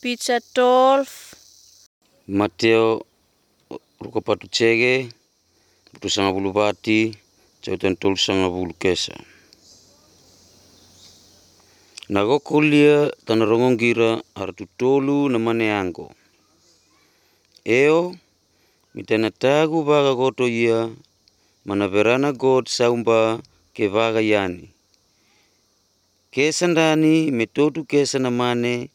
Picha 12. Mateo rukapatu chege putu sanga bulu bati jautan tol sanga bulu kesa. Nago kulia tana rongongira hartu tolu na mane ango. Eo mitana tagu baga goto ia mana verana god saumba ke vaga yani. Kesa ndani metotu kesa na mane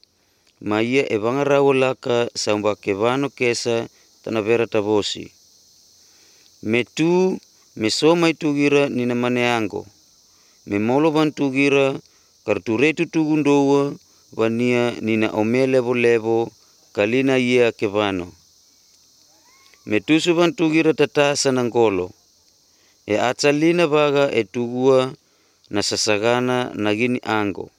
maia e vangarawa laka saumba ke vano kesa tana vera tavosi. Metu mesoma itugira nina mane ango. Memolo bantugira karturetu tugundowa wania nina ome levo kalina ia ke vano. Metusu bantugira tatasa nangolo. E atalina baga e tugua na sasagana nagini ango.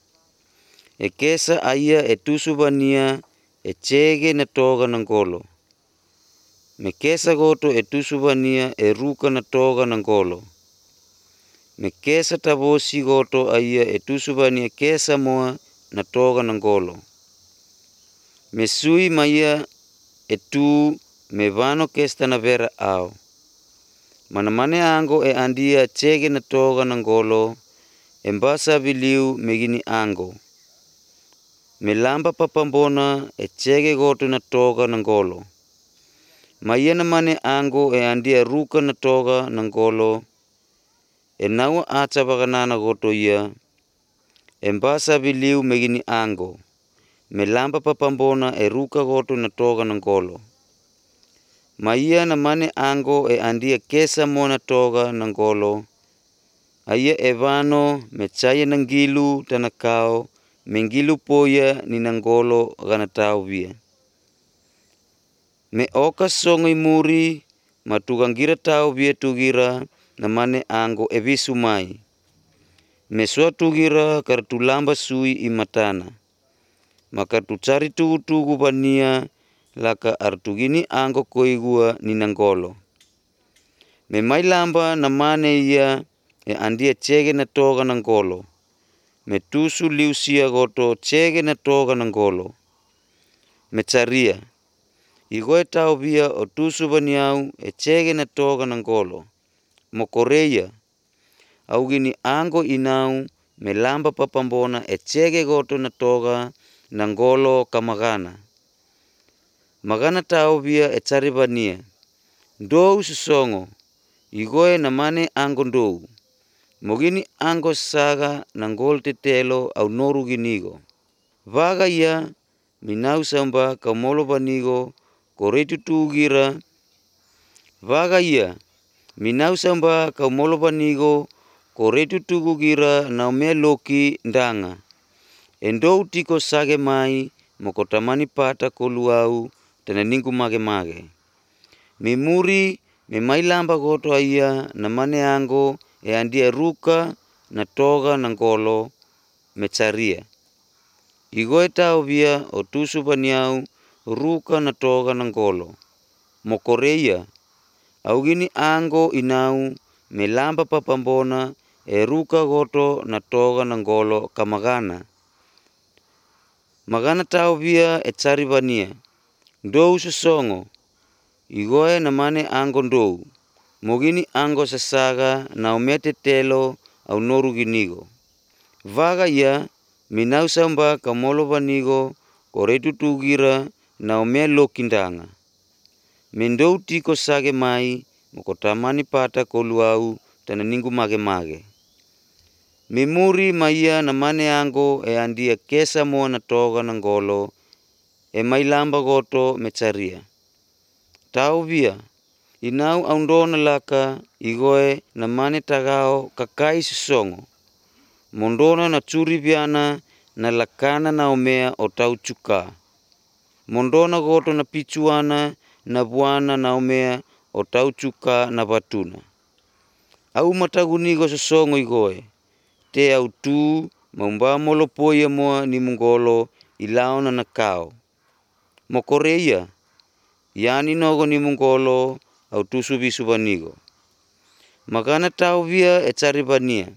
E kesa aya e tusu bania e chege na toga nangolo. Me kesa goto e tusu bania e ruka na toga nangolo. Me kesa tavosi goto aya e tusu bania kesa moa na toga nangolo. Me sui maya e tu me vano kesta na vera au. Mana mane ango e andia chege na toga nangolo. Embasa biliu megini ango. Me lamba papambona e chege goto na toga nangolo. Maya na mane ango e andia ruka na toga nangolo. E naua acha baganana goto ia. Embasa biliu megini ango. Me lamba papambona e ruka goto na toga nangolo. Maya na mane ango e andia kesa mona toga nangolo. Aya evano me chaya nangilu tanakao. Mengilu poya ni nangolo gana tau via. Me oka songai muri matugangira tau via tugira na mane ango e visu mai. Me sua tugira kartulamba sui imatana. Maka tu cari tugu bania laka artugini ango koigua ni nangolo. Me mai lamba na mane ia e andia chege na toga nangolo. Me tusu liusia goto chege na toga nangolo. Me caria. Igoe tau via o tusu baniau e chege na toga nangolo. Mokoreia. Au gini ango inau me lamba papambona e chege goto na toga nangolo kamagana. Magana tau via e cari bania. Dou susongo. Igoe na mane ango dou. Mogini ango saga nangol tetelo au noru ginigo. Vaga ia minau samba kamolo banigo koretu tugira. Vaga ia minau samba kamolo banigo koretu tugugira na me loki ndanga. Endou tiko sage mai mokotamani pata koluau tena ningu mage. Memuri me mailamba goto aya na mane ango e andia ruka na toga nangolo me caria. Igoe tau via o tusu baniau ruka na toga nangolo. Mokoreia. Au gini ango inau me lamba papambona e ruka goto na toga nangolo kamagana. Magana tau via e cari bania. Dou susongo. Igoe na mane ango dou. Mogini ango sasaga na omete telo au noru ginigo. Vaga ia minau samba kamolo banigo koretu tugira na ome lokindanga. Mendou tiko sage mai mokotamani pata koluau tana ningu mage. Memuri maia na mane ango e andia kesa moa na toga nangolo e mailamba goto me caria. Tau via. Inau aundona laka igoe na mane tagao kakai susongo. Mondona na curi viana na lakana na omea o tau cuka. Mondona goto na pichuana na buana na omea o tau cuka na batuna. Au matagunigo susongo igoe. Te au tu maumba molo poia moa ni mungolo ilaona na kao. Mokoreia. Yani nogo ni mungolo au tusu bisu banigo. Magana tau via e cari bania.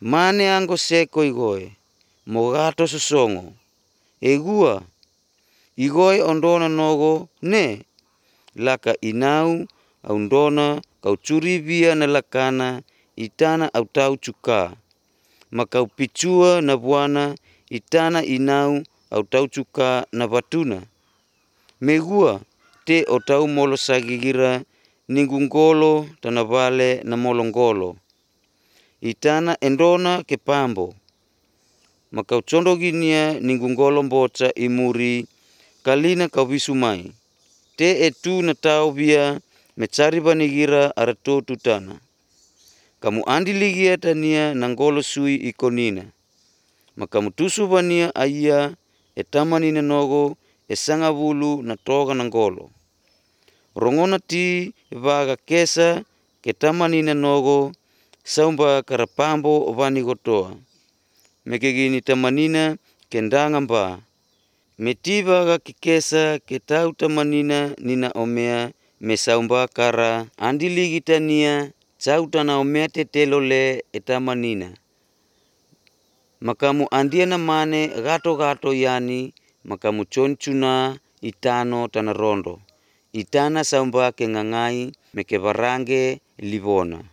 Mane ango seko igoe. Mogato susongo. Egua. Igoi ondona nogo ne laka inau aundona kau curibia na lakana itana au tau cuka. Makau picua na buana itana inau au tau cuka na batuna. Megua te o tau molo sagigira ningunggolo tana vale na molonggolo. Itana endona ke pambo. Makau condoginia ningunggolo mboca imuri kalina kau visumai. Te etu na tau bia mecari banigira arato tutana. Kamu andi ligia tania nanggolo sui ikonina. Makamu tusu bania aya etamanina nogo esanga bulu na toga nanggolo. Rongona ti vaga kesa ketamanina nogo saumba karapambo vani gotoa. Mekegini tamanina kendanga mba. Metiba ga kikesa ketau tamanina nina omea mesaumba kara andi ligi tania cautana omea tetelole etamanina. Makamu andiana mane gato yani makamu concuna itano tana rondo. Itana saumba kengangai mekebarange livona.